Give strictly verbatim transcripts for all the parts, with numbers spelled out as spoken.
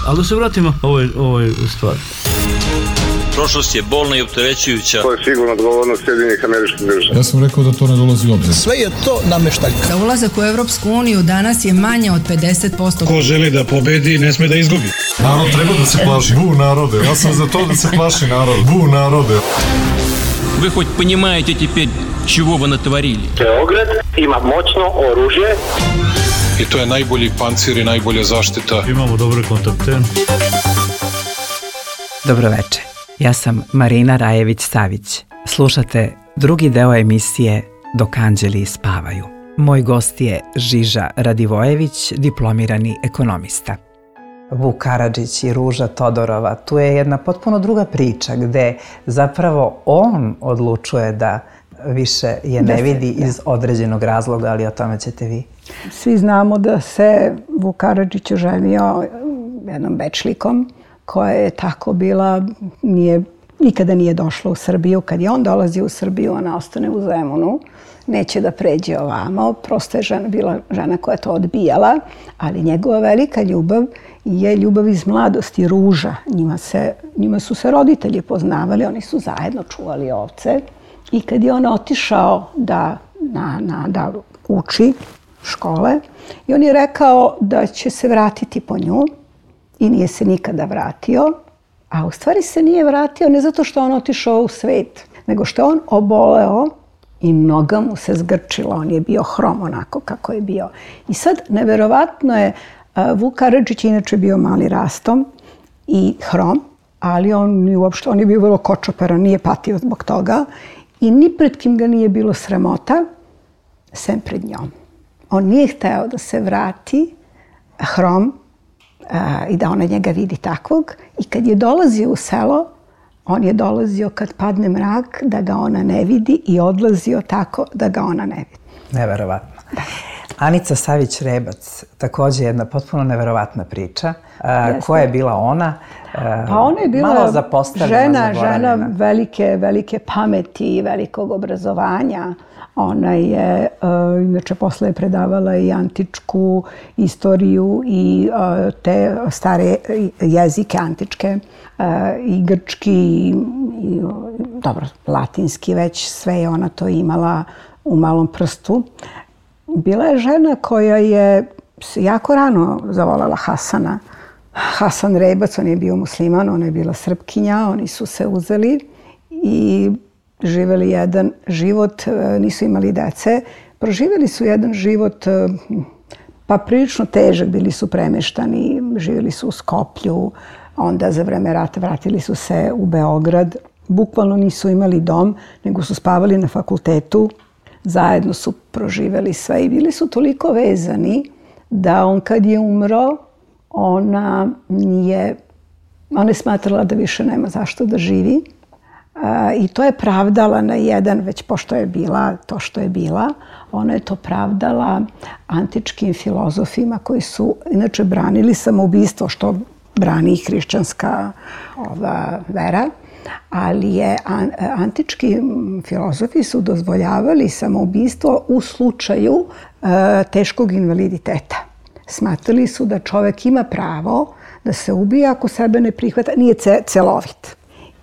Ali da se vratimo ovoj, ovoj stvari. Prošlost je bolna i opterećujuća. To je sigurno odgovornost Sjedinjenih Američkih Država. Ja sam rekao da to ne dolazi u obzir. Sve je to nameštaljka. Za ulazak u Evropsku uniju danas je manje od pedeset posto. Ko želi da pobedi, ne sme da izgubi. Narod treba da se plaši. Bu narode. Ja sam za to da se plaši narod. Bu narode. Вы хоть понимаете теперь, чего вы натворили? Beograd ima moćno oružje. I to je najbolji pancir i najbolja zaštita. Imamo dobre kontakte. Dobro večer. Ja sam Marina Rajević-Savić. Slušate drugi deo emisije Dok anđeli spavaju. Moj gost je Žiža Radivojević, diplomirani ekonomista. Vuk Karadžić i Ruža Todorova, tu je jedna potpuno druga priča gde zapravo on odlučuje da više je ne vidi iz određenog razloga, ali o tome ćete vi. Svi znamo da se Vuk Karadžić oženio jednom Bečlikom koja je tako bila, nije, nikada nije došla u Srbiju. Kad je on dolazio u Srbiju, ona ostane u Zemunu, neće da pređe ovamo. Prosto je žena, bila žena koja je to odbijala, ali njegova velika ljubav je ljubav iz mladosti, Ruža. Njima, se, njima su se roditelji poznavali, oni su zajedno čuvali ovce. I kad je on otišao da, na, na, da uči škole, i on je rekao da će se vratiti po nju, i nije se nikada vratio, a u stvari se nije vratio ne zato što on otišao u svet, nego što on oboleo i noga mu se zgrčila. On je bio hrom onako kako je bio. I sad, neverovatno je, Vuk Karadžić inače bio mali rastom i hrom, ali on, uopšte, on je bio vrlo kočoperan, nije patio zbog toga i ni pred kim ga nije bilo sramota, sem pred njom. On nije hteo da se vrati hrom, i da ona njega vidi takvog. I kad je dolazio u selo, on je dolazio kad padne mrak da ga ona ne vidi i odlazio tako da ga ona ne vidi. Neverovatno. Da. Anica Savić-Rebac, također jedna potpuno neverovatna priča. Jeste. Koja je bila ona? Pa ona je bila malo zapostavljena, žena, žena velike, velike pameti i velikog obrazovanja. Ona je, uh, inače, posle je predavala i antičku istoriju i uh, te stare jezike antičke, uh, i grčki, i, i, dobro, latinski već, sve je ona to imala u malom prstu. Bila je žena koja je jako rano zavolela Hasana. Hasan Rebac, on je bio musliman, ona je bila Srpkinja, oni su se uzeli i živjeli jedan život, nisu imali dece, proživjeli su jedan život pa prilično težak, bili su premeštani, živjeli su u Skoplju, onda za vreme rata vratili su se u Beograd. Bukvalno nisu imali dom, nego su spavali na fakultetu, zajedno su proživjeli sve i bili su toliko vezani da on kad je umro, ona nije, ona je smatrala da više nema zašto da živi. I to je pravdala na jedan, već pošto je bila to što je bila, ona je to pravdala antičkim filozofima koji su inače branili samoubistvo, što brani i hrišćanska ova vera, ali je antički filozofi su dozvoljavali samoubistvo u slučaju teškog invaliditeta. Smatrali su da čovjek ima pravo da se ubije ako sebe ne prihvata, nije celovit.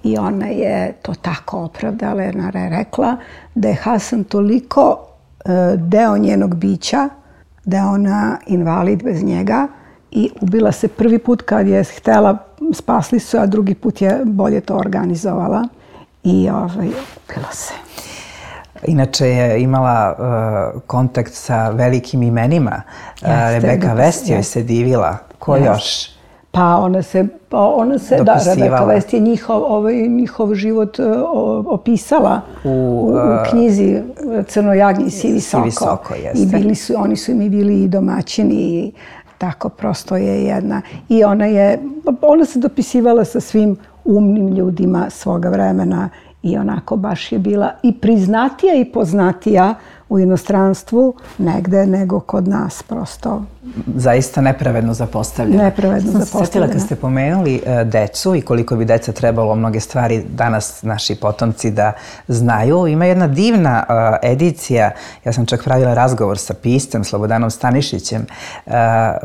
I ona je to tako opravdala, jer ona je rekla da je Hasan toliko deo njenog bića, da je ona invalid bez njega i ubila se prvi put kad je htjela, spasli su, a drugi put je bolje to organizovala i ovaj, ubila se. Inače je imala uh, kontakt sa velikim imenima. Jeste, Rebeka Vest joj se divila. Ko jeste. Još? Pa ona se, pa ona se da, Rebeka Vest je njihov, ovaj, njihov život uh, opisala u, u, u knjizi Crno jagnje i Sivi soko. Sivi soko, jeste. I bili su, oni su mi bili i domaćini i tako prosto je jedna. I ona je, ona se dopisivala sa svim umnim ljudima svoga vremena i onako baš je bila i priznatija i poznatija u inostranstvu negde nego kod nas prosto. zaista nepravedno zapostavljena. Nepravedno Sam se zapostavljena. sjetila kad ste pomenuli e, decu i koliko bi deca trebalo mnoge stvari danas naši potomci da znaju. Ima jedna divna e, edicija, ja sam čak pravila razgovor sa piscem Slobodanom Stanišićem, e,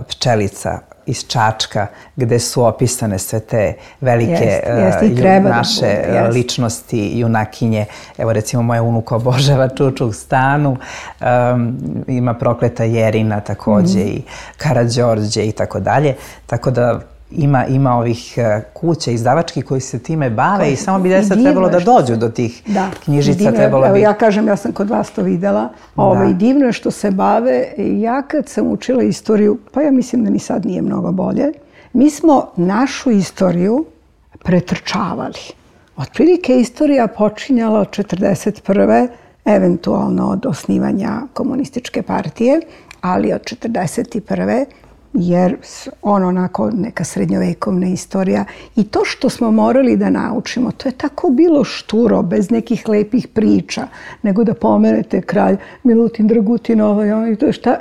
Pčelica iz Čačka, gde su opisane sve te velike Jest, jest, uh, i treba da naše bude, jest. ličnosti, junakinje. Evo recimo moja unuka obožava Čuču stanu, um, ima Prokleta Jerina takođe Mhm. i Karađorđe i tako dalje. Tako da ima, ima ovih uh, kuća izdavački koji se time bave i samo bi deca divno trebalo je da što dođu do tih Da, knjižica. divno je. Trebalo Evo, bi... ja kažem, ja sam kod vas to videla. Ovaj, divno je što se bave. Ja kad sam učila istoriju, pa ja mislim da ni sad nije mnogo bolje, mi smo našu istoriju pretrčavali. Otprilike istorija počinjala od četrdeset prve eventualno od osnivanja komunističke partije, ali od četrdeset prve jer ono onako neka srednjovekovna istorija i to što smo morali da naučimo, to je tako bilo šturo, bez nekih lepih priča, nego da pomenete kralj Milutin Dragutin, ovaj, ovaj, to je šta,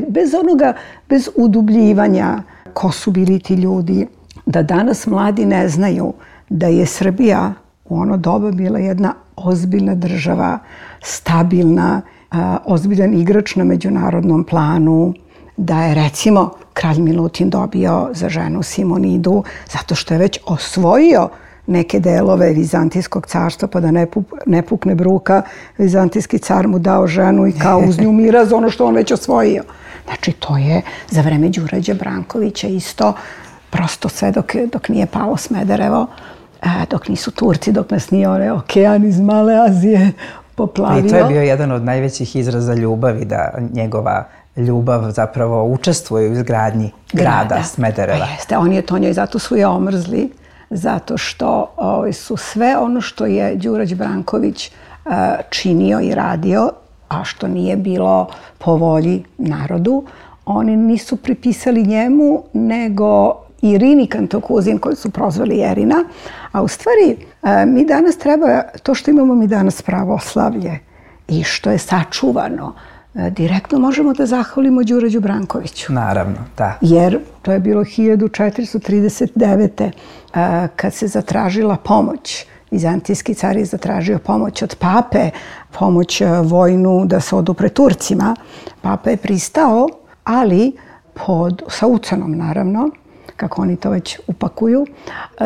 bez onoga, bez udubljivanja ko su bili ti ljudi, da danas mladi ne znaju da je Srbija u ono doba bila jedna ozbiljna država, stabilna, ozbiljan igrač na međunarodnom planu, da je recimo kralj Milutin dobio za ženu Simonidu zato što je već osvojio neke delove Vizantijskog carstva, pa da ne, pup, ne pukne bruka, Vizantijski car mu dao ženu i kao uz nju mira za ono što on već osvojio. Znači to je za vreme Đurađa Brankovića isto, prosto sve dok, dok nije palo Smederevo, dok nisu Turci, dok nas nije onaj okean iz Male Azije poplavio. I to je bio jedan od najvećih izraza ljubavi, da njegova ljubav zapravo učestvuje u izgradnji grada, grada Smedereva. Pa jeste, on je to njoj, zato su je omrzli, zato što o, su sve ono što je Đurađ Branković uh, činio i radio, a što nije bilo po volji narodu, oni nisu pripisali njemu, nego Irini Kantokuzin, koju su prozvali Jerina. A u stvari, uh, mi danas treba, to što imamo mi danas pravoslavlje i što je sačuvano, direktno možemo da zahvalimo Đurađu Brankoviću. Naravno, da. Jer to je bilo hiljadu četiristo trideset devete. kad se zatražila pomoć. Vizantijski car je zatražio pomoć od pape, pomoć vojnu da se odupre Turcima. Papa je pristao, ali pod, sa ucenom naravno, kako oni to već upakuju,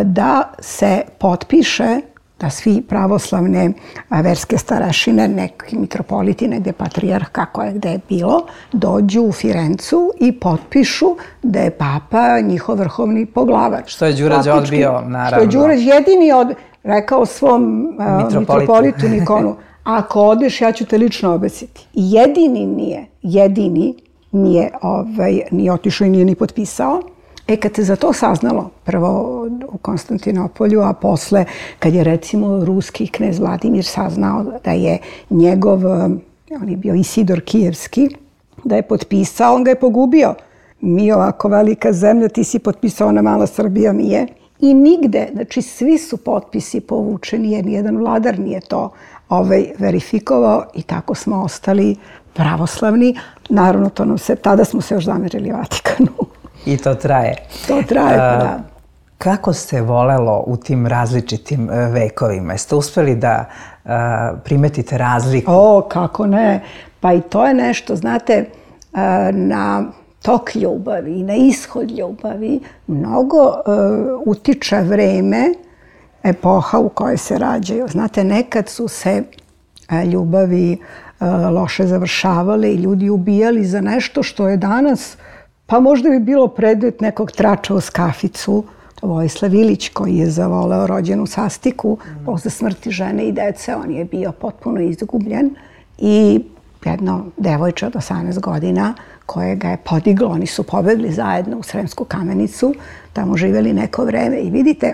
da se potpiše da svi pravoslavne verske starešine, neki mitropoliti, negde patrijarh, kako je gde je bilo, dođu u Firencu i potpišu da je papa njihov vrhovni poglavar. Što je Đurađ odbio, naravno. Što je Đurađ jedini od, rekao svom mitropolitu, mitropolitu Nikonu, ako odeš, ja ću te lično obesiti. I jedini nije, jedini nije, ovaj, nije otišao i nije ni potpisao. E, kad se za to saznalo, prvo u Konstantinopolju, a posle, kad je recimo ruski knez Vladimir saznao da je njegov, on je bio Isidor Kijevski, da je potpisao, on ga je pogubio. Mi ovako velika zemlja, ti si potpisao, ona mala Srbija nije. I nigde, znači svi su potpisi povučeni, jer nijedan vladar nije to ovaj, verifikovao i tako smo ostali pravoslavni. Naravno, to nam se, tada smo se još zamerili Vatikanu. I to traje. To traje, pa da. Kako se volelo u tim različitim vekovima? Jeste uspeli da uh, primetite razliku? O, kako ne. Pa i to je nešto, znate, uh, na tok ljubavi i na ishod ljubavi mnogo uh, utiče vreme, epoha u kojoj se rađaju. Znate, nekad su se uh, ljubavi uh, loše završavale i ljudi ubijali za nešto što je danas, pa možda bi bilo predmet nekog trača uz kaficu. Vojislav Ilić, koji je zavoleo rođenu Sastiku, posle smrti žene i dece, on je bio potpuno izgubljen. I jedno devojče od osamnaest godina koje ga je podiglo, oni su pobegli zajedno u Sremsku Kamenicu, tamo živjeli neko vreme. I vidite,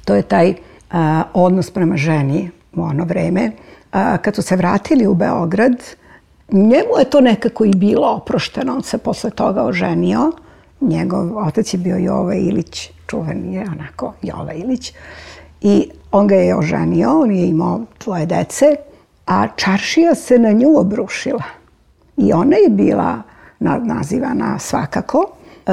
to je taj a, odnos prema ženi u ono vreme. A, kad su se vratili u Beograd, njemu je to nekako i bilo oprošteno. On se posle toga oženio. Njegov otac je bio Jova Ilić, čuveni je onako Jova Ilić. I on ga je oženio, on je imao dvoje dece, a čaršija se na nju obrušila. I ona je bila nazivana svakako. E,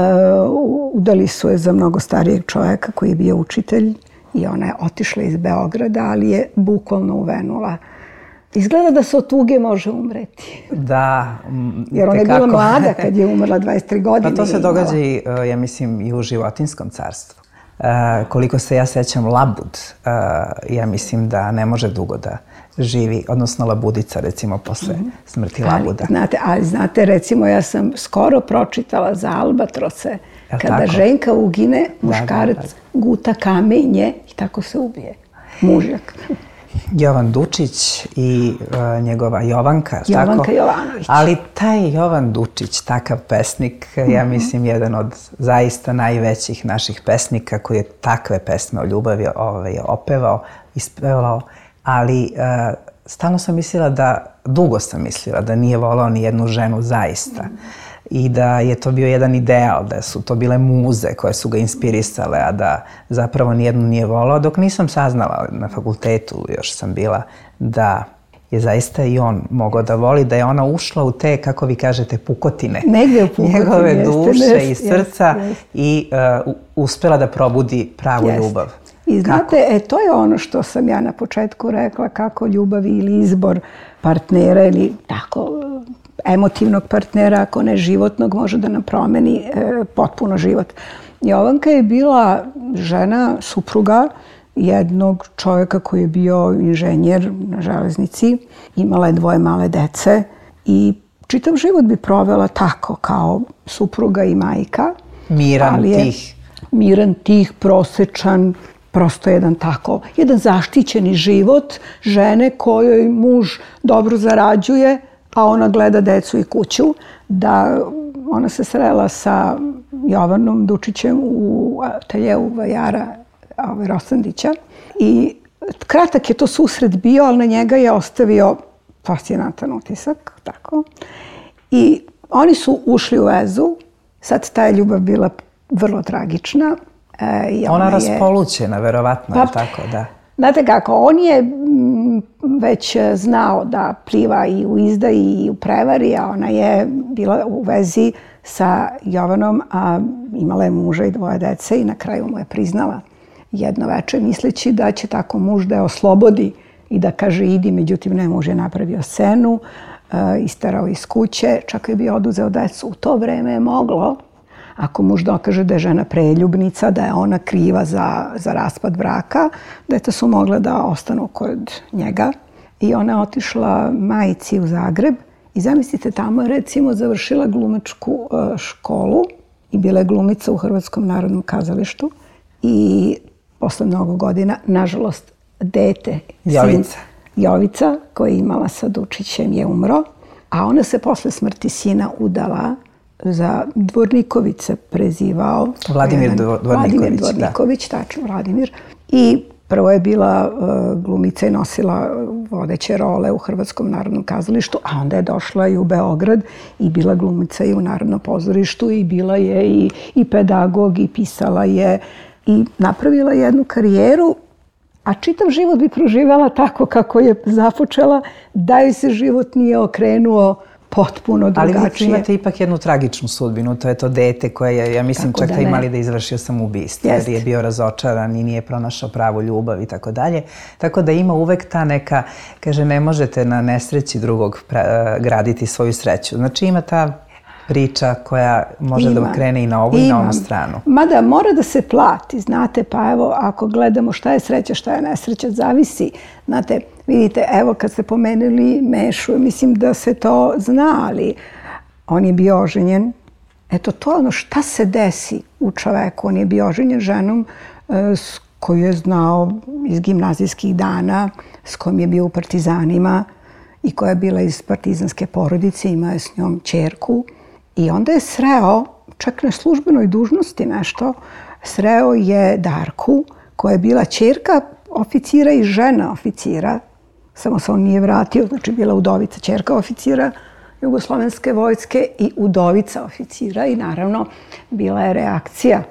udali su je za mnogo starijeg čovjeka koji je bio učitelj i ona je otišla iz Beograda, ali je bukvalno uvenula. Izgleda da se od tuge može umreti. Da. Jer ona je bila mlada kad je umrla, dvadeset tri godine. Pa to se događa i, ja mislim, i u životinjskom carstvu. Uh, koliko se ja sećam, labud, uh, ja mislim da ne može dugo da živi, odnosno labudica, recimo, posle mm-hmm. smrti labuda. Ali znate, ali znate, recimo, ja sam skoro pročitala za albatrose, Jel kada tako? ženka ugine, muškarac da, da, da. guta kamenje i tako se ubije. Mužjak. Jovan Dučić i uh, njegova Jovanka, Jovanka tako? Jovanović. Ali taj Jovan Dučić, takav pesnik, mm-hmm. ja mislim jedan od zaista najvećih naših pesnika koji je takve pesme o ljubavi ovaj, opevao, ispevao, ali uh, stalno sam mislila da, dugo sam mislila da nije volao ni jednu ženu zaista. Mm-hmm. I da je to bio jedan ideal, da su to bile muze koje su ga inspirisale, a da zapravo nijednu nije volao, dok nisam saznala, na fakultetu još sam bila, da je zaista i on mogao da voli, da je ona ušla u te, kako vi kažete, pukotine. Negde u pukotine. Njegove jeste, duše jeste, i srca jeste, jeste. i uh, uspela da probudi pravu Jeste. ljubav. I znate, e, to je ono što sam ja na početku rekla, kako ljubav ili izbor partnera ili tako emotivnog partnera, ako ne životnog, može da nam promeni e, potpuno život. Jovanka je bila žena, supruga jednog čovjeka koji je bio inženjer na železnici, imala je dvoje male dece i čitav život bi provela tako, kao supruga i majka. Miran, tih. Miran, tih, prosečan, prosto jedan tako, jedan zaštićeni život žene kojoj muž dobro zarađuje, a ona gleda decu i kuću. Da ona se srela sa Jovanom Dučićem u ateljeu vajara ovaj, Rosandića. I kratak je to susret bio, ali na njega je ostavio fascinantan utisak. Tako. I oni su ušli u vezu. Sad ta je ljubav bila vrlo tragična. E, i ona ona raspolućena, je, verovatno, pa, tako, da. Znate kako, on je već znao da pliva i u izdaji i u prevari, a ona je bila u vezi sa Jovanom, a imala je muža i dvoje dece i na kraju mu je priznala jedno veče, misleći da će tako muž da je oslobodi i da kaže idi, međutim ne, muž je napravio scenu, isterao iz kuće, čak je bio oduzeo decu. U to vreme je moglo, ako muž dokaže da je žena preljubnica, da je ona kriva za, za raspad braka, deca su mogle da ostanu kod njega. I ona je otišla majici u Zagreb i zamislite, tamo je recimo završila glumačku školu i bila je glumica u Hrvatskom narodnom kazalištu. I posle mnogo godina, nažalost, dete, Jovica. sin Jovica, koji je imala sa Dučićem, je umro. A ona se posle smrti sina udala za Dvorniković se prezivao. Vladimir Dvorniković. Vladimir Dvorniković, da. Tačno, Vladimir. I prvo je bila uh, glumica i nosila vodeće role u Hrvatskom narodnom kazalištu, a onda je došla i u Beograd i bila glumica i u Narodnom pozorištu i bila je i, i pedagog i pisala je i napravila jednu karijeru, a čitav život bi proživala tako kako je započela, da joj se život nije okrenuo potpuno drugačije. Ali vi imate ipak jednu tragičnu sudbinu, to je to dete koje je, ja mislim, čak da imali da izvršio samoubistvo, jer je bio razočaran i nije pronašao pravu ljubav i tako dalje. Tako da ima uvek ta neka, kaže, ne možete na nesreći drugog graditi svoju sreću. Znači ima ta priča koja može ima. Da krene i na ovu i na onu stranu. Mada mora da se plati, znate, pa evo, ako gledamo šta je sreća, šta je nesreća, zavisi. Znate, vidite, evo kad ste pomenuli Mešu, mislim da se to zna, ali on je bio oženjen. Eto, to je ono šta se desi u čoveku. On je bio oženjen ženom s koju je znao iz gimnazijskih dana, s kojom je bio u partizanima i koja je bila iz partizanske porodice, imao je s njom ćerku. I onda je sreo, čak na službenoj dužnosti nešto, sreo je Darku, koja je bila ćerka oficira i žena oficira. Samo se on nije vratio, znači bila udovica, ćerka oficira Jugoslovenske vojske i udovica oficira. I naravno, bila je reakcija.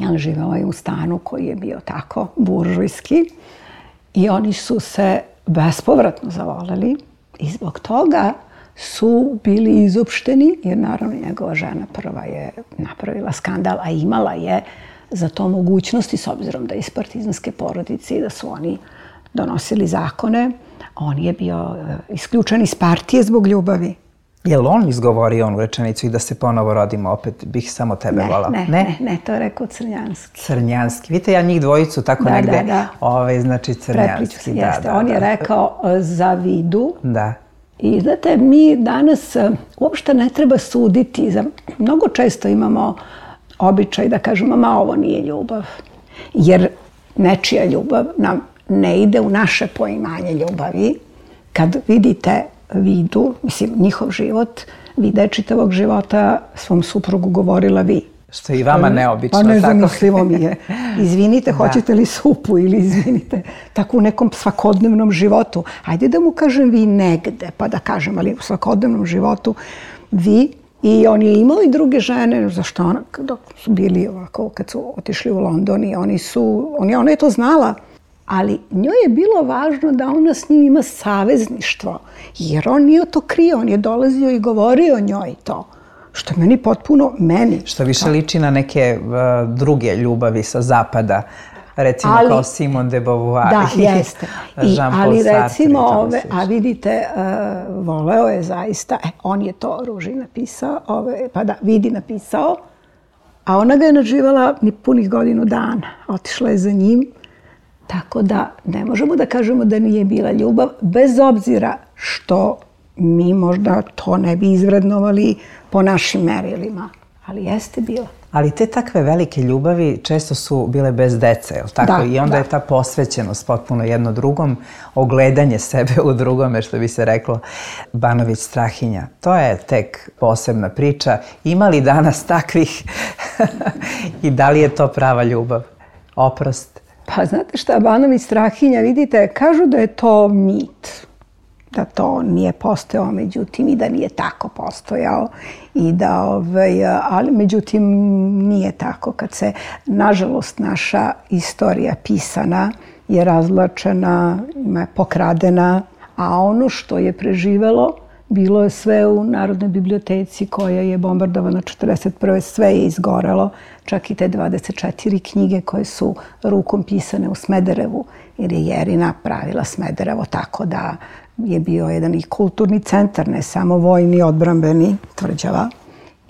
On živela je u stanu koji je bio tako buržujski. I oni su se bespovratno zavoleli. I zbog toga su bili izopšteni, jer naravno njegova žena prva je napravila skandal, a imala je za to mogućnosti, s obzirom da je iz partizanske porodice i da su oni donosili zakone. On je bio isključen iz partije zbog ljubavi. Je li on izgovorio onu rečenicu i da se ponovo rodimo opet, bih samo tebe volao? Ne, ne, ne, to je rekao Crnjanski. Crnjanski. Vidite, ja njih dvojicu tako da, negde, da, da. Ove, znači Crnjanski. Prepliču se, da, jeste. Da, on da, je da. rekao za Vidu. Da. I znate, mi danas uopšte ne treba suditi. Mnogo često imamo običaj da kažemo, ma ovo nije ljubav. Jer nečija ljubav nam ne ide u naše poimanje ljubavi. Kad vidite Vidu, mislim, njihov život, Vida je čitavog života svom suprugu govorila vi. Što je i vama neobično. Pa nezamislivo mi je. Izvinite, hoćete li supu ili izvinite, tako u nekom svakodnevnom životu. Ajde da mu kažem vi negde, pa da kažem, ali u svakodnevnom životu vi. I on je imao i druge žene, zašto ona, dok su bili ovako, kad su otišli u London i oni su, on je, ona je to znala. Ali njoj je bilo važno da ona s njim ima savezništvo, jer on nije to krio, on je dolazio i govorio o njoj to. Što je meni potpuno, meni. Što više liči na neke uh, druge ljubavi sa zapada, recimo ali, kao Simone de Beauvoir. Da, jeste. I, ali recimo ove, a vidite, uh, voleo je zaista, e, on je to Ruži napisao, ove, pa da, Vidi napisao, a ona ga je nadživala ni punih godinu dana. Otišla je za njim, tako da ne možemo da kažemo da nije bila ljubav, bez obzira što mi možda to ne bi izvrednovali po našim merilima, ali jeste bila. Ali te takve velike ljubavi često su bile bez dece, je li tako? Da, I onda da. je ta posvećenost potpuno jedno drugom, ogledanje sebe u drugome, što bi se reklo, Banović Strahinja. To je tek posebna priča. Ima li danas takvih i da li je to prava ljubav? Oprost? Pa znate šta, Banović Strahinja, vidite, kažu da je to mit, da to nije postojao, međutim i da nije tako postojao i da, ovaj, ali međutim nije tako. Kad se, nažalost, naša istorija pisana je razvlačena, je pokradena, a ono što je preživelo bilo je sve u Narodnoj biblioteci koja je bombardovana četrdeset prve. Sve je izgorelo, čak i te dvadeset četiri knjige koje su rukom pisane u Smederevu, jer je Jerina pravila Smederevo tako da je bio jedan i kulturni centar, ne samo vojni, odbrambeni, tvrđava.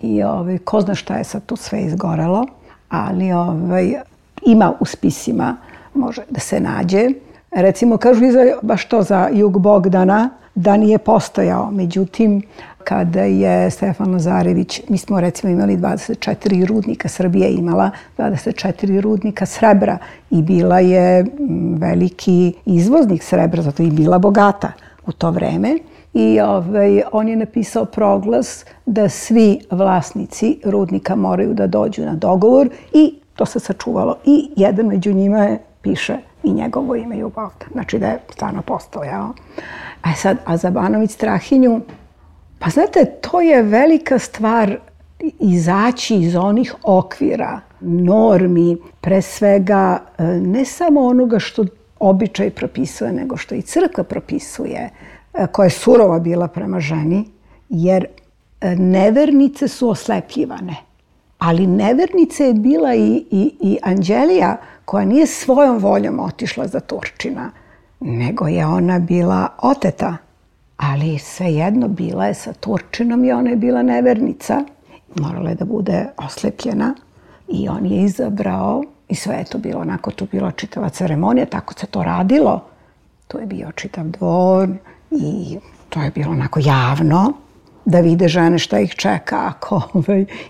I ovaj, ko zna šta je sad tu sve izgorelo, ali ovaj, ima u spisima, može da se nađe. Recimo, kažu i za, baš to za Jug Bogdana, da nije postojao. Međutim, kada je Stefan Lazarević, mi smo recimo imali dvadeset četiri rudnika, Srbija je imala dvadeset četiri rudnika srebra i bila je veliki izvoznik srebra, zato i bila bogata u to vreme. I ovaj, on je napisao proglas da svi vlasnici rudnika moraju da dođu na dogovor i to se sačuvalo. I jedan među njima je, piše i njegovo ime Jug Bogdan. Znači da je stvarno postojao. A sad, a za Banović Strahinju, pa znate, to je velika stvar izaći iz onih okvira, normi, pre svega ne samo onoga što običaj propisuje, nego što i crkva propisuje, koja je surova bila prema ženi, jer nevernice su oslepljivane. Ali nevernice je bila i, i, i Anđelija, koja nije svojom voljom otišla za Turčina, nego je ona bila oteta. Ali svejedno bila je sa Turčinom i ona je bila nevernica. Morala je da bude oslepljena i on je izabrao i sve je to bilo onako, tu bila čitava ceremonija, tako se to radilo. Tu je bio čitav dvor i to je bilo onako javno da vide žene šta ih čeka. Ako,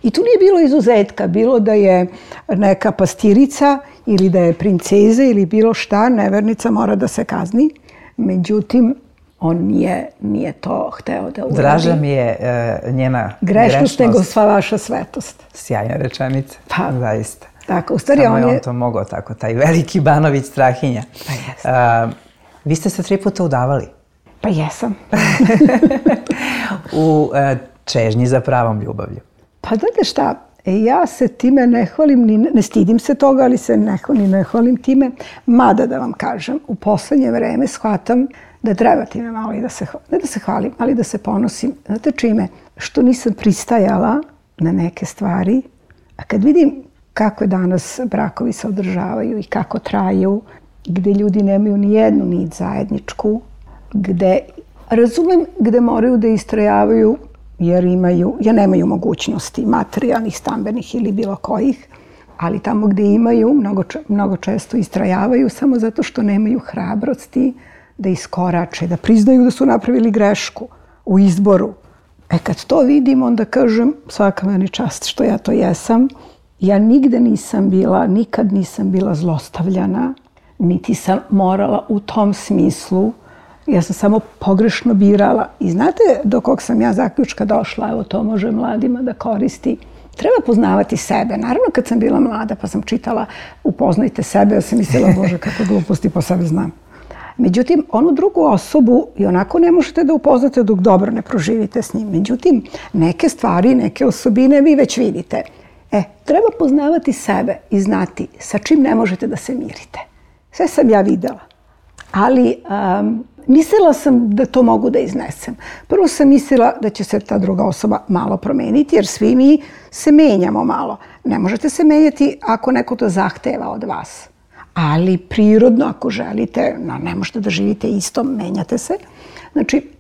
I tu nije bilo izuzetka, bilo da je neka pastirica ili da je princeza ili bilo šta, nevernica mora da se kazni. Međutim, on nije, nije to hteo da uradi. Draža mi je uh, njena grešnost. Grešnost nego sva vaša svetost. Sjajna rečenica, pa, zaista. Tako, u stvari Samo on je je on to mogao tako, taj veliki Banović Strahinja. Pa jeste. Uh, vi ste se tri puta udavali. Pa jesam. U uh, čežnji za pravom ljubavlju. Pa znate šta, ja se time ne hvalim, ni, ne stidim se toga, ali se ne, ni ne hvalim time. Mada da vam kažem, u poslednje vreme shvatam da treba time malo i da se, ne da se hvalim, ali da se ponosim. Znate čime? Što nisam pristajala na neke stvari, a kad vidim kako danas brakovi se održavaju i kako traju, gde ljudi nemaju ni jednu nit zajedničku, gde, razumem, gde moraju da istrajavaju jer imaju, jer nemaju mogućnosti materijalnih, stambenih ili bilo kojih, ali tamo gde imaju, mnogo, mnogo često istrajavaju samo zato što nemaju hrabrosti da iskorače, da priznaju da su napravili grešku u izboru. E kad to vidim, onda kažem, svaka meni čast što ja to jesam. Ja nigde nisam bila, nikad nisam bila zlostavljana, niti sam morala u tom smislu. Ja sam samo pogrešno birala. I znate do kog sam ja zaključka došla? Evo, to može mladima da koristi. Treba poznavati sebe. Naravno, kad sam bila mlada pa sam čitala Upoznajte sebe, ja sam mislila, Bože, kako gluposti po sebi znam. Međutim, onu drugu osobu i onako ne možete da upoznate dok dobro ne proživite s njim. Međutim, neke stvari, neke osobine vi već vidite. E, treba poznavati sebe i znati sa čim ne možete da se mirite. Sve sam ja videla. Ali um, mislila sam da to mogu da iznesem. Prvo sam mislila da će se ta druga osoba malo promeniti, jer svi mi se menjamo malo. Ne možete se menjati ako neko to zahteva od vas. Ali prirodno, ako želite, no, ne možete da živite isto, menjate se. Znači,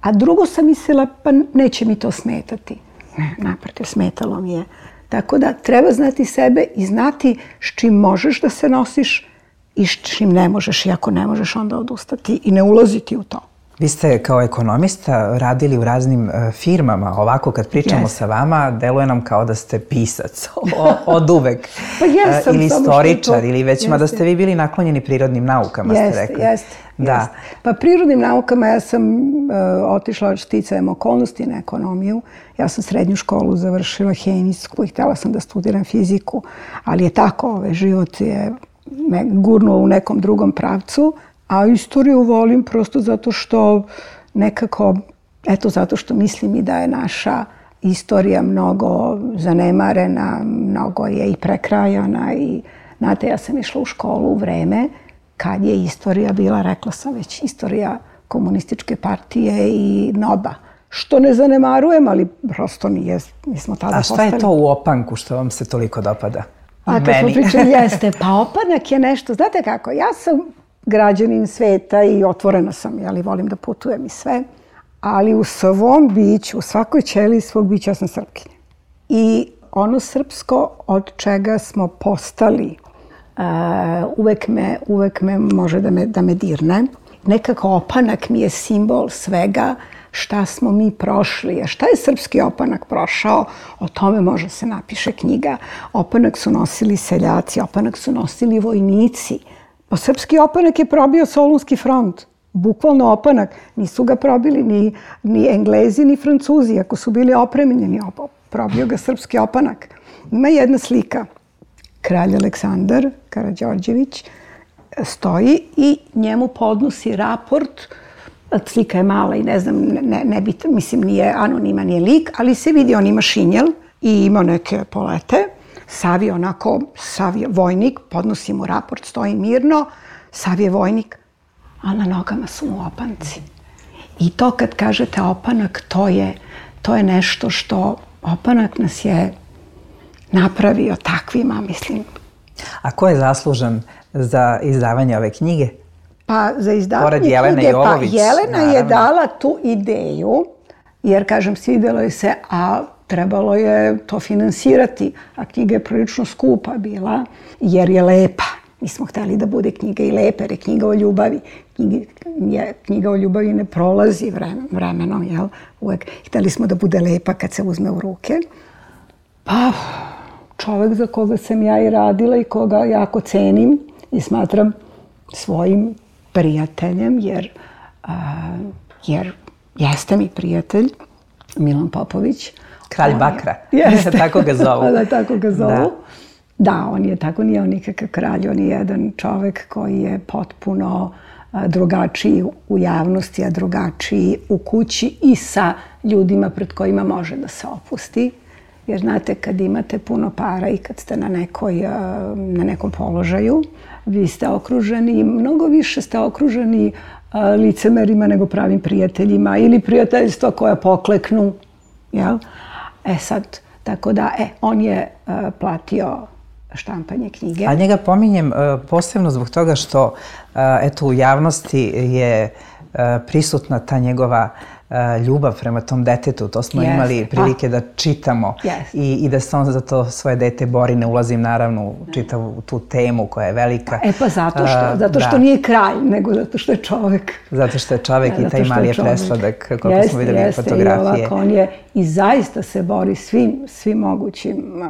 a drugo sam mislila, pa neće mi to smetati. Ne, naprotiv, smetalo mi je. Tako da treba znati sebe i znati s čim možeš da se nosiš i s čim ne možeš. I ako ne možeš, onda odustati i ne ulaziti u to. Vi ste kao ekonomista radili u raznim firmama. Ovako kad pričamo yes. sa vama, deluje nam kao da ste pisac od uvek. Pa jesam. Ili istoričar, ili već mada ste vi bili naklonjeni prirodnim naukama, jeste, ste rekli. Jeste, da. jeste. Pa prirodnim naukama ja sam uh, otišla sticajem okolnosti na ekonomiju. Ja sam srednju školu završila hemijsku i htjela sam da studiram fiziku, ali je tako, ovaj život je me gurnuo u nekom drugom pravcu. A istoriju volim prosto zato što nekako, eto zato što mislim i da je naša istorija mnogo zanemarena, mnogo je i prekrajana i znate, ja sam išla u školu u vreme kad je istorija bila, rekla sam već, istorija komunističke partije i NOB-a. Što ne zanemarujem, ali prosto nije, mi smo tada postali. A šta je to u opanku što vam se toliko dopada? A kad smo pričali, jeste, pa opanak je nešto, znate kako, ja sam građanin sveta i otvorena sam, jeli, volim da putujem i sve, ali u svom biću, u svakoj ćeliji svog bića ja sam Srpkinja. I ono srpsko od čega smo postali, uh, uvek, me, uvek me može da me, da me dirne. Nekako opanak mi je simbol svega šta smo mi prošli. A šta je srpski opanak prošao? O tome može se napiše knjiga. Opanak su nosili seljaci, opanak su nosili vojnici. Pa srpski opanak je probio Solunski front. Bukvalno opanak. Nisu ga probili ni, ni Englezi, ni Francuzi. Ako su bili opremljeni, probio ga srpski opanak. Ima jedna slika. Kralj Aleksandar Karađorđević stoji i njemu podnosi raport. Slika je mala i ne znam, ne, ne bit, mislim nije anoniman je lik, ali se vidi, on ima šinjel i ima neke polete. Sav je onako, sav je vojnik, podnosi mu raport, stoji mirno, sav je vojnik, a na nogama su mu opanci. I to kad kažete opanak, to je, to je nešto što opanak nas je napravio takvima, mislim. A ko je zaslužan za izdavanje ove knjige? Pa za izdavanje knjige, pa Jelena naravno je dala tu ideju, jer kažem, svidelo je se, a trebalo je to finansirati, a knjiga je prilično skupa bila, jer je lepa. Mi smo hteli da bude knjiga i lepa, jer je knjiga o ljubavi. Knjiga, je, knjiga o ljubavi ne prolazi vremenom, jel? Uvek hteli smo da bude lepa kad se uzme u ruke. Pa, čovek za koga sam ja i radila i koga jako cenim i smatram svojim prijateljem, jer, a, jer jeste mi prijatelj, Milan Popović. Kralj Bakra, jeste. Tako ga zovu. Da, tako ga zovu. Da. Da, on je tako, nije on nikakav kralj, on je jedan čovek koji je potpuno a, drugačiji u javnosti, a drugačiji u kući i sa ljudima pred kojima može da se opusti. Jer znate, kad imate puno para i kad ste na, nekoj, na nekom položaju, vi ste okruženi, mnogo više ste okruženi licemerima nego pravim prijateljima ili prijateljstva koja pokleknu, jel? E sad, tako da, e, on je uh, platio štampanje knjige. A njega pominjem uh, posebno zbog toga što, uh, eto, u javnosti je uh, prisutna ta njegova uh, ljubav prema tom detetu. To smo yes. imali prilike da čitamo yes. I, i da se on za to svoje dete bori. Ne ulazim naravno u čitavu tu temu koja je velika. E pa zato što, zato što da. nije kralj, nego zato što je čovek. Zato što je čovek da, i taj mali je presladak, kako jeste, smo videli jeste, fotografije. I ovako on je i zaista se bori svim, svim mogućim,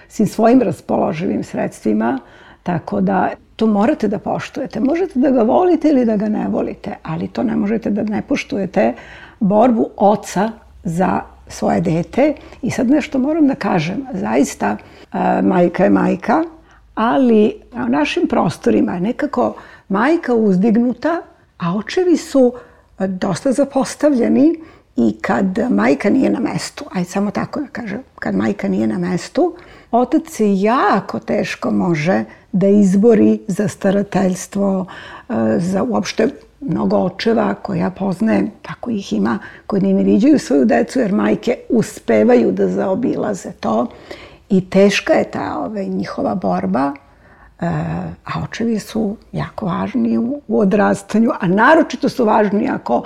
svim svojim raspoloživim sredstvima, tako da to morate da poštujete. Možete da ga volite ili da ga ne volite, ali to ne možete da ne poštujete borbu oca za svoje dete. I sad nešto moram da kažem, zaista majka je majka, ali na našim prostorima je nekako majka uzdignuta, a očevi su dosta zapostavljeni i kad majka nije na mestu, ajde samo tako da kažem, kad majka nije na mestu, otac se jako teško može da izbori za starateljstvo, za uopšte mnogo očeva koje ja poznajem, tako ih ima, koji ne viđaju svoju decu jer majke uspevaju da zaobilaze to i teška je ta ove, njihova borba, a očevi su jako važni u, u odrastanju, a naročito su važni ako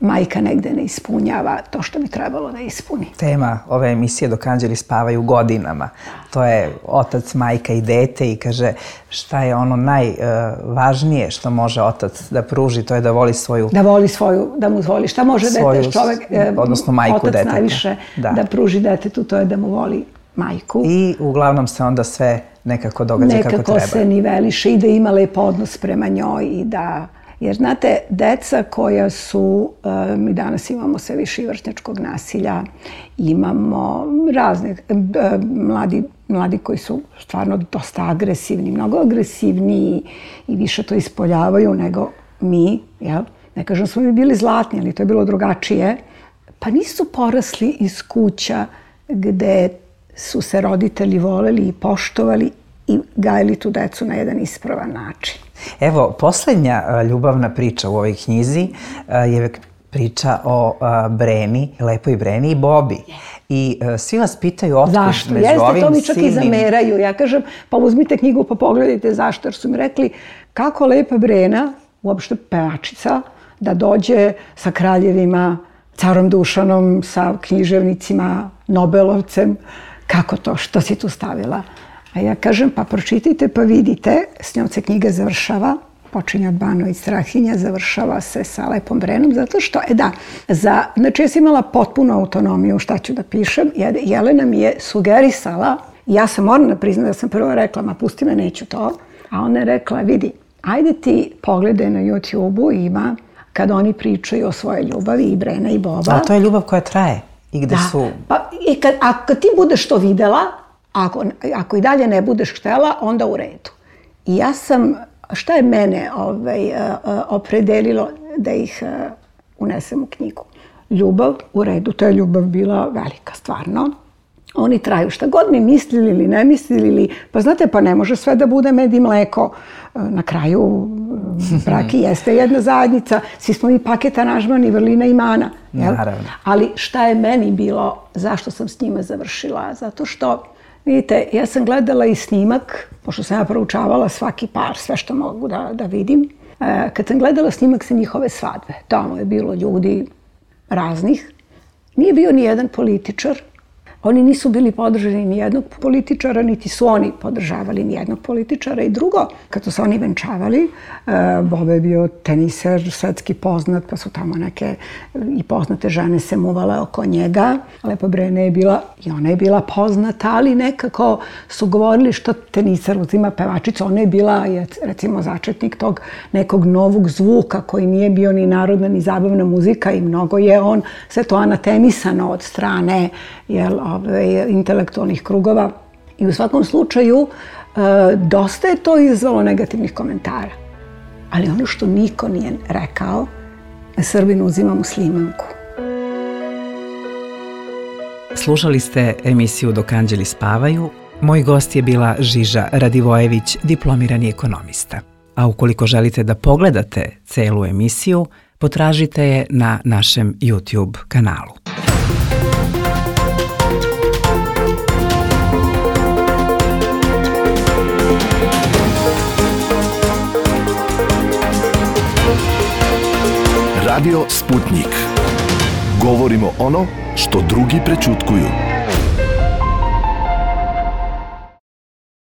majka negde ne ispunjava to što bi trebalo da ispuni. Tema ove emisije Dok anđeli spavaju godinama. To je otac, majka i dete i kaže šta je ono najvažnije što može otac da pruži, to je da voli svoju... Da voli svoju, da mu voli. Šta može svoju, dete, čovek, odnosno majku otac deteta. najviše da. da pruži detetu, to je da mu voli majku. I uglavnom se onda sve nekako događa nekako kako treba. Nekako se niveliše i da ima lep odnos prema njoj i da... Jer, znate, deca koja su, mi danas imamo sve više i vršnjačkog nasilja, imamo razne, mladi, mladi koji su stvarno dosta agresivni, mnogo agresivniji i više to ispoljavaju nego mi, jel? Ne kažem smo mi bili zlatni, ali to je bilo drugačije. Pa nisu porasli iz kuća gde su se roditelji voleli i poštovali i gajili tu decu na jedan ispravan način. Evo, posljednja ljubavna priča u ovoj knjizi je priča o Breni, lepoj Breni i Bobi. I svi vas pitaju otkud među ovim silnim... Zašto? Jeste, to mi čak i zameraju. Ja kažem, pa uzmite knjigu pa pogledajte zašto. Jer su mi rekli kako lepa Brena, uopšte pevačica, da dođe sa kraljevima, carom Dušanom, sa književnicima, Nobelovcem. Kako to? Što si tu stavila? A ja kažem, pa pročitajte pa vidite, s njom se knjiga završava, počinje od Banović Strahinja, završava se sa lepom Brenom, zato što, e da, za, znači ja sam imala potpunu autonomiju šta ću da pišem, jer Jelena mi je sugerisala, ja sam morala priznati da sam prvo rekla, ma pusti me, neću to, a ona je rekla, vidi, ajde ti pogledaj na YouTube-u, ima, kad oni pričaju o svojoj ljubavi, i Brena i Boba. A to je ljubav koja traje i gde da. su... Pa, i kad, a kad ti budeš to videla, Ako, ako i dalje ne budeš htela, onda u redu. I ja sam, šta je mene ovaj, opredelilo da ih unesem u knjigu? Ljubav, u redu, to je ljubav bila velika, stvarno. Oni traju šta god mi mislili ili ne mislili, ili, pa znate, pa ne može sve da bude med i mleko. Na kraju brak i jeste jedna zajednica, svi smo mi paket aranžman i vrlina i mana. Jel? Naravno. Ali šta je meni bilo, zašto sam s njima završila? Zato što, vidite, ja sam gledala i snimak, pošto sam ja proučavala svaki par, sve što mogu da, da vidim. E, kad sam gledala snimak sa njihove svadbe, tamo je bilo ljudi raznih. Nije bio ni jedan političar. Oni nisu bili podržani ni jednog političara, niti su oni podržavali ni jednog političara. I drugo, kad su se oni venčavali, Boba je bio teniser, svetski poznat, pa su tamo neke i poznate žene se muvale oko njega. Lepa Brena je bila, i ona je bila poznata, ali nekako su govorili što teniser uzima pevačicu. Ona je bila, recimo, začetnik tog nekog novog zvuka koji nije bio ni narodna, ni zabavna muzika i mnogo je on sve to anatemisano od strane, jel, ove, intelektualnih krugova. I u svakom slučaju, e, dosta je to izvalo negativnih komentara. Ali ono što niko nije rekao, Srbin uzima muslimanku. Slušali ste emisiju Dok anđeli spavaju. Moj gost je bila Žiža Radivojević, diplomirani ekonomista. a ukoliko želite da pogledate celu emisiju, potražite je na našem YouTube kanalu. Radio Sputnik. Govorimo ono što drugi prećutkuju.